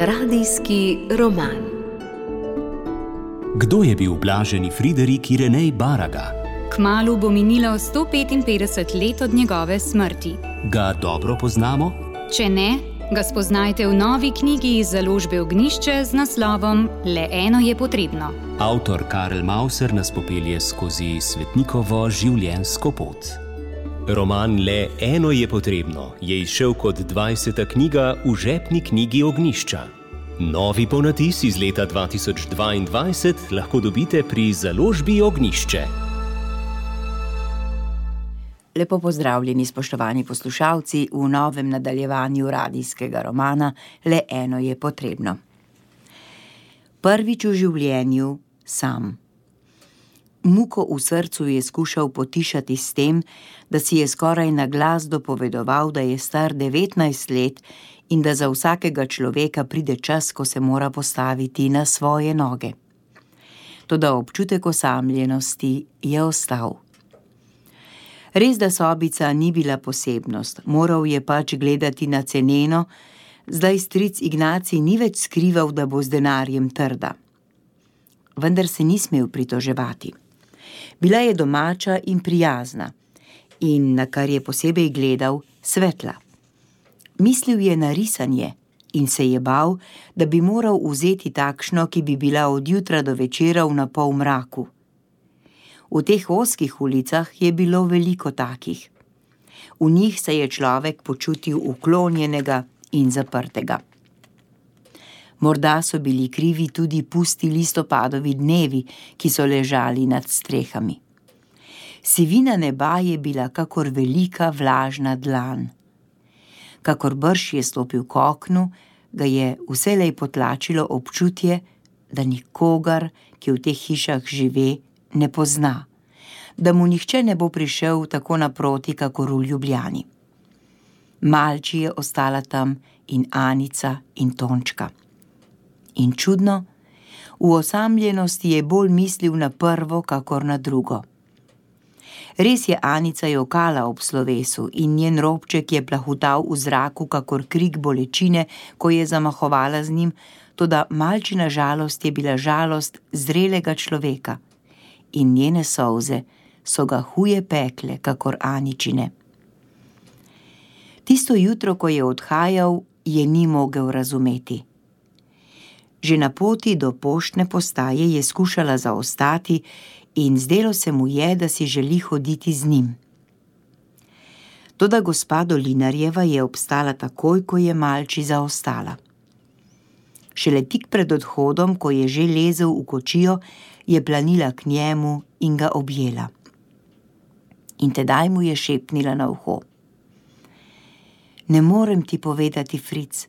Radijski roman. Kdo je bil blaženi Friderik Irenej Baraga? Kmalu bo minilo 155 let od njegove smrti. Ga dobro poznamo? Če ne, ga spoznajte v novi knjigi iz založbe Ognjišče z naslovom Le eno je potrebno. Avtor Karel Mauser nas popelje skozi svetnikovo življenjsko pot. Roman Le eno je potrebno je izšel kot 20. knjiga v žepni knjigi Ognjišča. Novi ponatis iz leta 2022 lahko dobite pri založbi Ognjišče. Lepo pozdravljeni, spoštovani poslušalci, v novem nadaljevanju radijskega romana Le eno je potrebno. Prvič v življenju sam. Muko v srcu je skušal potišati s tem, da si je skoraj na glas dopovedoval, da je star 19 let in da za vsakega človeka pride čas, ko se mora postaviti na svoje noge. Toda občutek osamljenosti je ostal. Res, da sobica ni bila posebnost, moral je pač gledati na ceneno, zdaj stric Ignacij ni več skrival, da bo z denarjem trda. Vendar se ni smel pritoževati. Bila je domača in prijazna in, na kar je posebej gledal, svetla. Mislil je na risanje in se je bal, da bi moral vzeti takšno, ki bi bila od jutra do večera v napol mraku. V teh ozkih ulicah je bilo veliko takih. V njih se je človek počutil uklonjenega in zaprtega. Morda so bili krivi tudi pusti listopadovi dnevi, ki so ležali nad strehami. Sivina neba je bila kakor velika vlažna dlan. Kakor brž je stopil k oknu, ga je vselej potlačilo občutje, da nikogar, ki v teh hišah žive, ne pozna, da mu nihče ne bo prišel tako naproti, kakor v Ljubljani. Malči je ostala tam in Anica in Tončka. In čudno, v osamljenosti je bolj mislil na prvo, kakor na drugo. Res je Anica jokala ob slovesu in njen robček je plahutal v zraku, kakor krik bolečine, ko je zamahovala z njim, toda Malčina žalost je bila žalost zrelega človeka in njene solze so ga huje pekle, kakor Aničine. Tisto jutro, ko je odhajal, je ni mogel razumeti. Že na poti do poštne postaje je skušala zaostati in zdelo se mu je, da si želi hoditi z njim. Toda gospa Dolinarjeva je obstala takoj, ko je Malči zaostala. Šele tik pred odhodom, ko je že lezel v kočijo, je planila k njemu in ga objela. In tedaj mu je šepnila na uho. Ne morem ti povedati, Fric,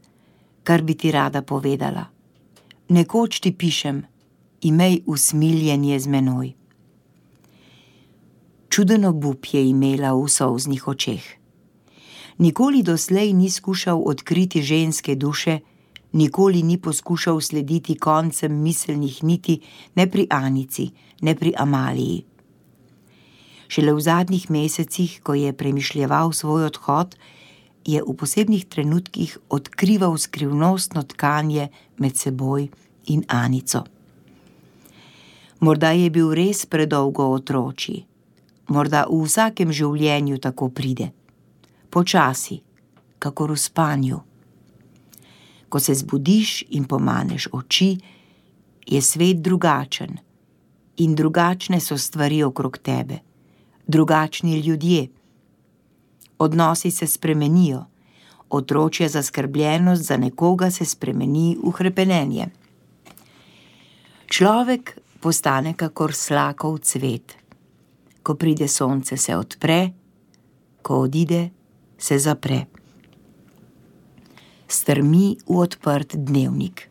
kar bi ti rada povedala. Nekoč ti pišem, imej usmiljenje z menoj. Čuden obup je imela v solznih očeh. Nikoli doslej ni skušal odkriti ženske duše, nikoli ni poskušal slediti koncem miselnih niti ne pri Anici, ne pri Amaliji. Šele v zadnjih mesecih, ko je premišljeval svoj odhod, je v posebnih trenutkih odkrival skrivnostno tkanje med seboj in Anico. Morda je bil res predolgo otročji, morda v vsakem življenju tako pride, počasi, kakor v spanju. Ko se zbudiš in pomaneš oči, je svet drugačen in drugačne so stvari okrog tebe, drugačni ljudje. Odnosi se spremenijo, otročja zaskrbljenost za nekoga se spremeni v hrepenenje. Človek postane kakor slakov cvet. Ko pride sonce, se odpre, ko odide, se zapre. Strmi v odprt dnevnik.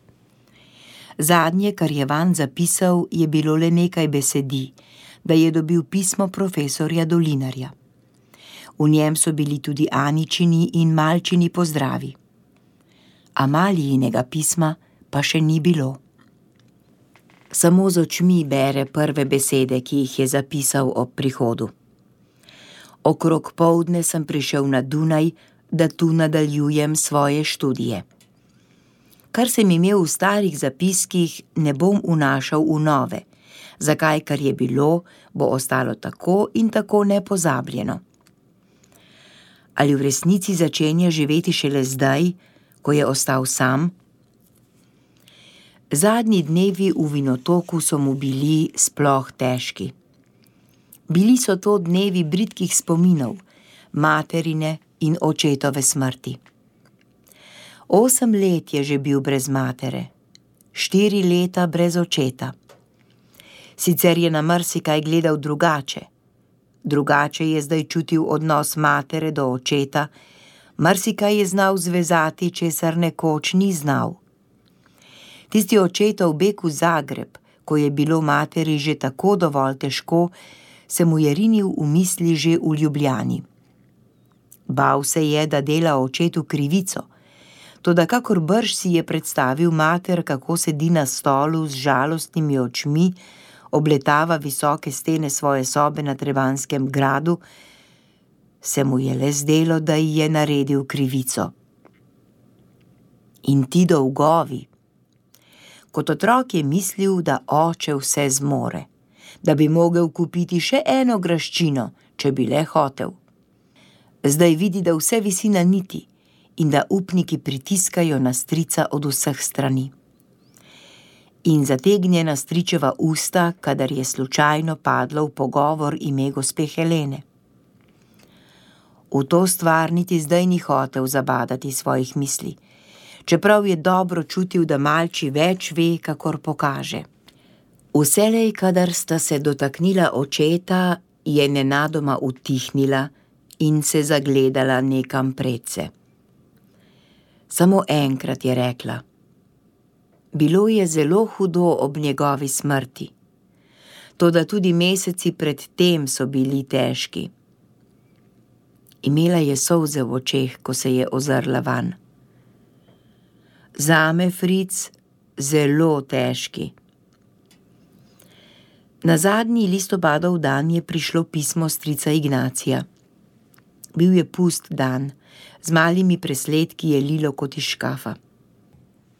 Zadnje, kar je vanj zapisal, je bilo le nekaj besedi, da je dobil pismo profesorja Dolinarja. V njem so bili tudi Aničini in Malčini pozdravi. Amalijinega pisma pa še ni bilo. Samo z očmi bere prve besede, ki jih je zapisal ob prihodu. Okrog poldne sem prišel na Dunaj, da tu nadaljujem svoje študije. Kar sem imel v starih zapiskih, ne bom vnašal v nove. Zakaj, kar je bilo, bo ostalo tako in tako nepozabljeno. Ali v resnici začenja živeti šele zdaj, ko je ostal sam? Zadnji dnevi v Vinotoku so mu bili sploh težki. Bili so to dnevi bridkih spominov, materine in očetove smrti. 8 let je že bil brez matere, 4 leta brez očeta. Sicer je na marsikaj gledal drugače. Drugače je zdaj čutil odnos matere do očeta, marsikaj je znal zvezati, česar nekoč ni znal. Tisti očetov beg v Zagreb, ko je bilo materi že tako dovolj težko, se mu je rinil v misli že v Ljubljani. Bal se je, da dela očetu krivico, toda kakor brž si je predstavil mater, kako sedi na stolu z žalostnimi očmi, obletava visoke stene svoje sobe na Trebanjskem gradu, se mu je le zdelo, da ji je naredil krivico. In ti dolgovi. Kot otrok je mislil, da oče vse zmore, da bi mogel kupiti še eno graščino, če bi le hotel. Zdaj vidi, da vse visi na niti in da upniki pritiskajo na strica od vseh strani. In zategnjena stričeva usta, kadar je slučajno padlo v pogovor ime gospe Helene. V to stvar niti zdaj ni hotel zabadati svojih misli, čeprav je dobro čutil, da malči več ve, kakor pokaže. Vselej, kadar sta se dotaknila očeta, je nenadoma utihnila in se zagledala nekam predse. Samo enkrat je rekla: bilo je zelo hudo ob njegovi smrti, toda tudi meseci pred tem so bili težki. Imela je solze v očeh, ko se je ozrla van. Zame, Fric, zelo težki. Na zadnji listopadov dan je prišlo pismo strica Ignacija. Bil je pust dan, z malimi presledki je lilo kot iz škafa.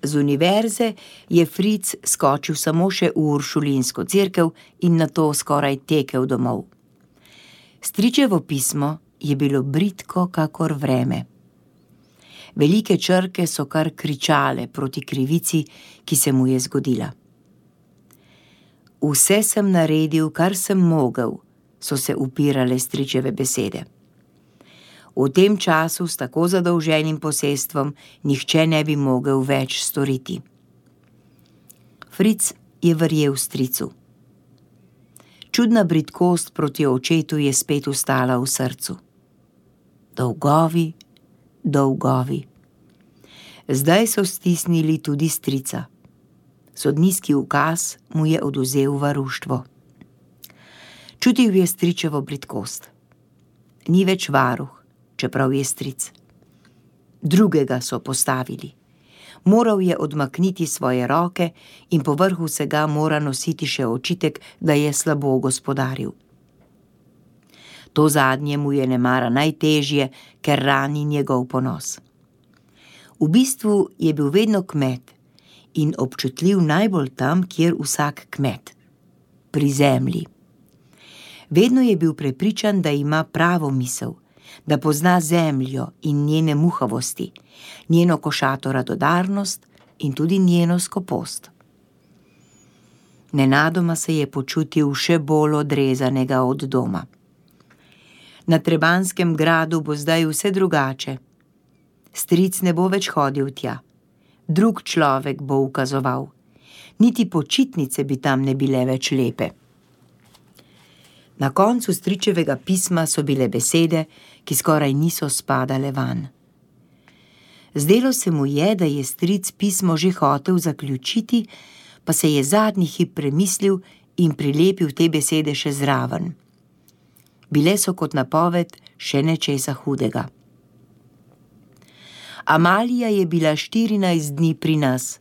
Z univerze je Fric skočil samo še v Uršulinsko cerkev in nato skoraj tekel domov. Stričevo pismo je bilo bridko kakor vreme. Velike črke so kar kričale proti krivici, ki se mu je zgodila. Vse sem naredil, kar sem mogel, so se upirale stričeve besede. V tem času s tako zadolženim posestvom nihče ne bi mogel več storiti. Fric je verjel stricu. Čudna bridkost proti očetu je spet ustala v srcu. Dolgovi, dolgovi. Zdaj so stisnili tudi strica. Sodniški ukaz mu je odvzel varuštvo. Čutil je stričevo bridkost. Ni več varuh, čeprav je stric. Drugega so postavili. Moral je odmakniti svoje roke in povrh vsega mora nositi še očitek, da je slabo gospodaril. To zadnje mu je nemara najtežje, ker rani njegov ponos. V bistvu je bil vedno kmet in občutljiv najbolj tam, kjer vsak kmet. Pri zemlji. Vedno je bil prepričan, da ima pravo misel, da pozna zemljo in njene muhavosti, njeno košato radodarnost in tudi njeno skopost. Nenadoma se je počutil še bolj odrezanega od doma. Na Trebanjskem gradu bo zdaj vse drugače. Stric ne bo več hodil tja. Drug človek bo ukazoval. Niti počitnice bi tam ne bile več lepe. Na koncu stričevega pisma so bile besede, ki skoraj niso spadale van. Zdelo se mu je, da je stric pismo že hotel zaključiti, pa se je zadnji hip premislil in prilepil te besede še zraven. Bile so kot napoved še nečesa hudega. Amalija je bila 14 dni pri nas.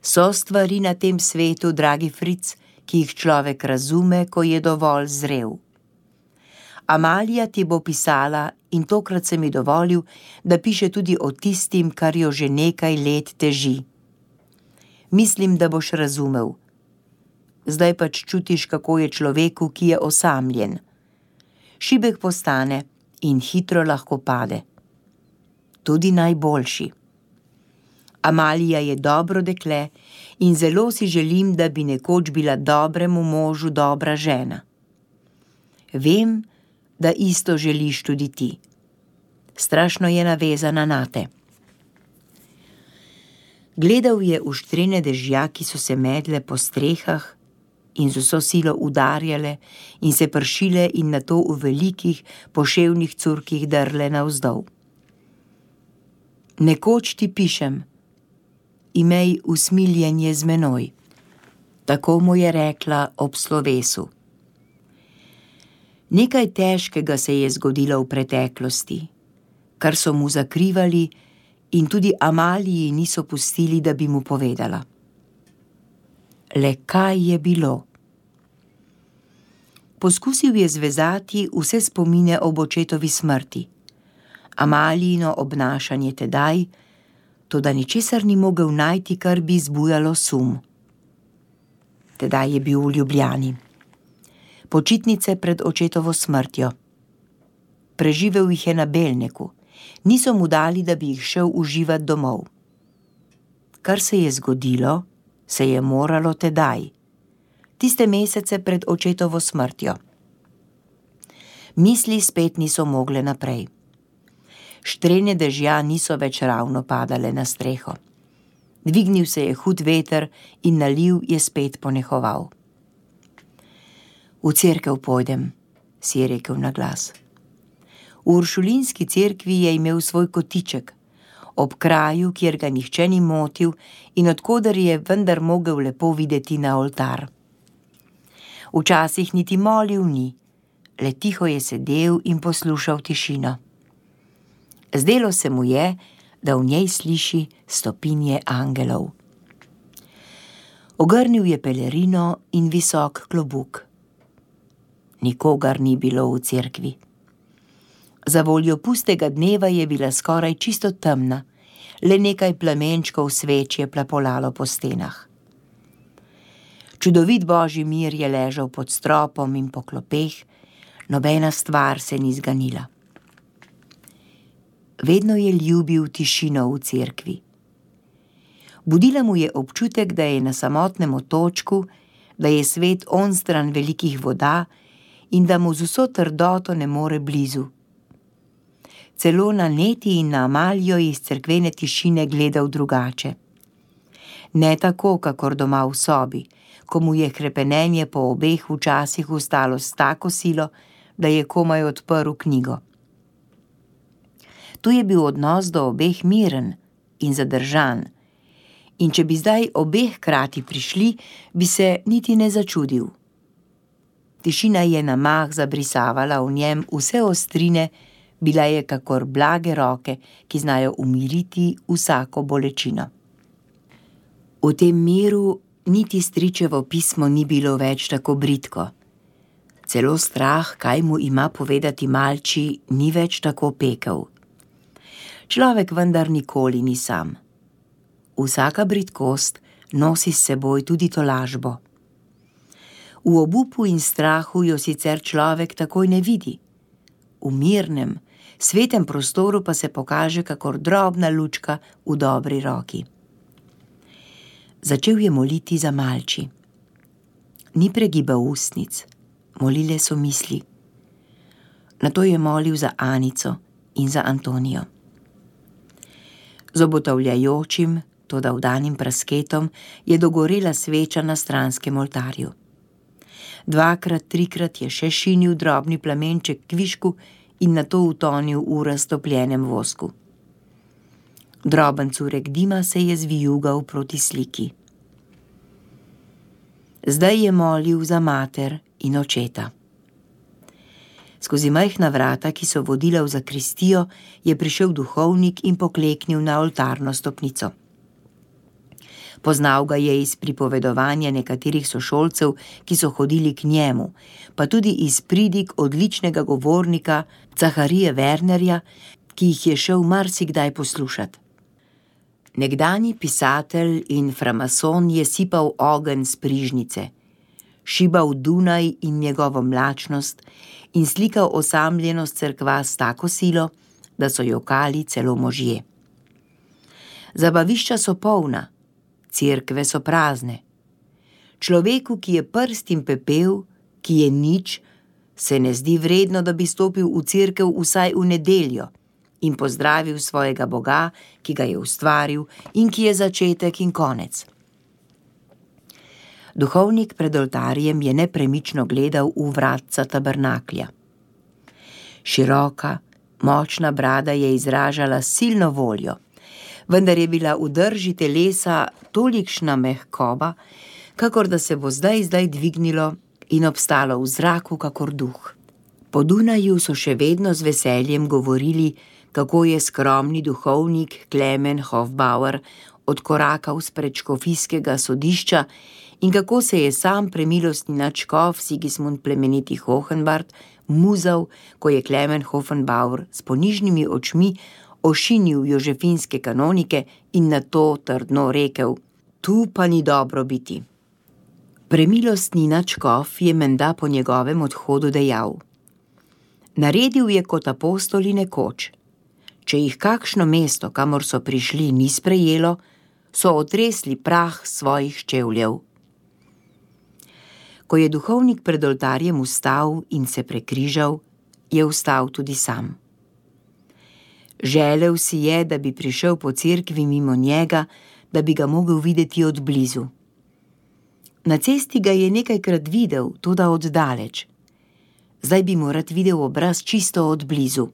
So stvari na tem svetu, dragi Fric, ki jih človek razume, ko je dovolj zrel. Amalija ti bo pisala in tokrat sem ji dovolil, da piše tudi o tistim, kar jo že nekaj let teži. Mislim, da boš razumel. Zdaj pač čutiš, kako je človeku, ki je osamljen. Šibek postane in hitro lahko pade. Tudi najboljši. Amalija je dobro dekle in zelo si želim, da bi nekoč bila dobremu možu dobra žena. Vem, da isto želiš tudi ti. Strašno je navezana nate. Gledal je uštrene dežja, ki so se medle po strehah in z vso silo udarjale in se pršile in nato v velikih poševnih curkih drle navzdol. Nekoč ti pišem, imej usmiljenje z menoj. Tako mu je rekla ob slovesu. Nekaj težkega se je zgodilo v preteklosti, kar so mu zakrivali in tudi Amaliji niso pustili, da bi mu povedala. Le kaj je bilo? Poskusil je zvezati vse spomine ob očetovi smrti, Amalijino obnašanje tedaj, toda ničesar ni mogel najti, kar bi zbujalo sum. Tedaj je bil v Ljubljani. Počitnice pred očetovo smrtjo. Preživel jih je na Belneku. Niso mu dali, da bi jih šel uživat domov. Kar se je zgodilo, se je moralo tedaj. Tiste mesece pred očetovo smrtjo. Misli spet niso mogle naprej. Štrene dežja niso več ravno padale na streho. Dvignil se je hud veter in naliv je spet ponehoval. V cerkev pojdem, si je rekel na glas. V uršulinski cerkvi je imel svoj kotiček, ob kraju, kjer ga nihče ni motil in odkoder je vendar mogel lepo videti na oltar. Včasih niti molil ni, le tiho je sedel in poslušal tišino. Zdelo se mu je, da v njej sliši stopinje angelov. Ogrnil je pelerino in visok klobuk. Nikogar ni bilo v cerkvi. Za voljo pustega dneva je bila skoraj čisto temna, le nekaj plamenčkov sveč je plapolalo po stenah. Čudovit božji mir je ležal pod stropom in po klopeh, nobena stvar se ni zganila. Vedno je ljubil tišino v cerkvi. Budila mu je občutek, da je na samotnem otočku, da je svet onstran velikih voda in da mu z vso trdoto ne more blizu. Celo na Neti in na Amalijo iz cerkvene tišine gledal drugače. Ne tako, kakor doma v sobi, ko mu je hrepenenje po obeh včasih ustalo s tako silo, da je komaj odprl knjigo. Tu je bil odnos do obeh miren in zadržan, in če bi zdaj obeh hkrati prišli, bi se niti ne začudil. Tišina je na mah zabrisavala v njem vse ostrine, bila je kakor blage roke, ki znajo umiriti vsako bolečino. V tem miru niti stričevo pismo ni bilo več tako bridko. Celo strah, kaj mu ima povedati malči, ni več tako pekel. Človek vendar nikoli ni sam. Vsaka bridkost nosi s seboj tudi tolažbo. V obupu in strahu jo sicer človek takoj ne vidi. V mirnem, svetem prostoru pa se pokaže kakor drobna lučka v dobri roki. Začel je moliti za malči. Ni pregibal ustnic, molile so misli. Nato je molil za Anico in za Antonijo. Z obotavljajočim, toda vdanim prasketom je dogorela sveča na stranskem oltarju. 2-krat, 3-krat je še šinil drobni plamenček kvišku in nato utonil v raztopljenem vosku. Droben curek dima se je zvijugal proti sliki. Zdaj je molil za mater in očeta. Skozi majhna vrata, ki so vodila v zakristijo, je prišel duhovnik in pokleknil na oltarno stopnico. Poznal ga je iz pripovedovanja nekaterih sošolcev, ki so hodili k njemu, pa tudi iz pridig odličnega govornika Zacharije Wernerja, ki jih je šel marsikdaj poslušati. Nekdanji pisatelj in framason je sipal ogenj s prižnice, šibal Dunaj in njegovo mlačnost in slikal osamljenost cerkva s tako silo, da so jokali celo možje. Zabavišča so polna, cerkve so prazne. Človeku, ki je prst in pepel, ki je nič, se ne zdi vredno, da bi stopil v cerkev vsaj v nedeljo in pozdravil svojega Boga, ki ga je ustvaril in ki je začetek in konec. Duhovnik pred oltarjem je nepremično gledal v vratca tabernaklja. Široka, močna brada je izražala silno voljo, vendar je bila v drži telesa tolikšna mehkoba, kakor da se bo zdaj dvignilo in obstalo v zraku kakor duh. Po Dunaju so še vedno z veseljem govorili, kako je skromni duhovnik Klemen Hofbauer odkorakal spred škofijskega sodišča in kako se je sam premilostni nadškof Sigismund plemeniti Hohenwart muzal, ko je Klemen Hofbauer s ponižnimi očmi ošinil jožefinske kanonike in nato trdno rekel: "Tu pa ni dobro biti." Premilostni nadškof je menda po njegovem odhodu dejal: "Naredil je kot apostoli nekoč. Če jih kakšno mesto, kamor so prišli, ni sprejelo, so otresli prah svojih čevljev." Ko je duhovnik pred oltarjem vstal in se prekrižal, je vstal tudi sam. Želel si je, da bi prišel po cerkvi mimo njega, da bi ga mogel videti od blizu. Na cesti ga je nekajkrat videl, toda od daleč. Zdaj bi mu rad videl obraz čisto od blizu.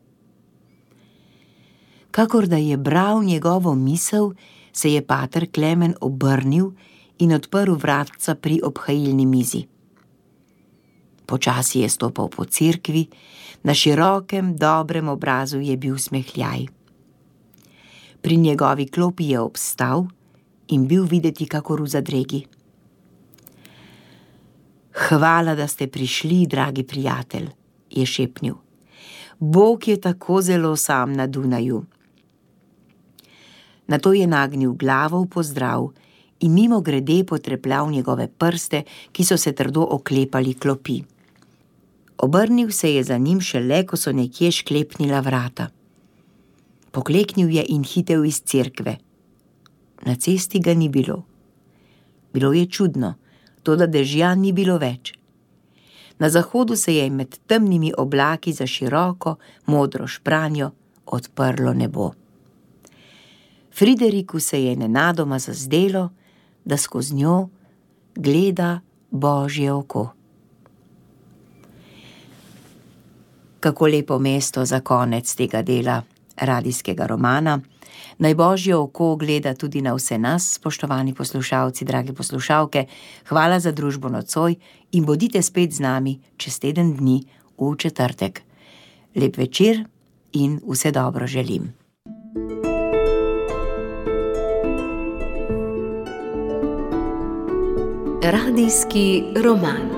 Kakor da je bral njegovo misel, se je pater Klemen obrnil in odprl vratca pri obhajilni mizi. Počasi je stopal po cerkvi, na širokem, dobrem obrazu je bil smehljaj. Pri njegovi klopi je obstal in bil videti kakor v zadregi. "Hvala, da ste prišli, dragi prijatelj," je šepnil. "Bog je tako zelo sam na Dunaju." Nato je nagnil glavo v pozdrav in mimogrede potrepljal njegove prste, ki so se trdo oklepali klopi. Obrnil se je za njim šele, ko so nekje šklepnila vrata. Pokleknil je in hitel iz cerkve. Na cesti ga ni bilo. Bilo je čudno, toda dežja ni bilo več. Na zahodu se je med temnimi oblaki za široko, modro špranjo odprlo nebo. Frideriku se je nenadoma zazdelo, da skozi njo gleda Božje oko. Kako lepo mesto za konec tega dela radijskega romana. Naj Božje oko gleda tudi na vse nas, spoštovani poslušalci, drage poslušalke. Hvala za družbo nocoj in bodite spet z nami čez teden dni v četrtek. Lep večer in vse dobro želim. Radijski roman.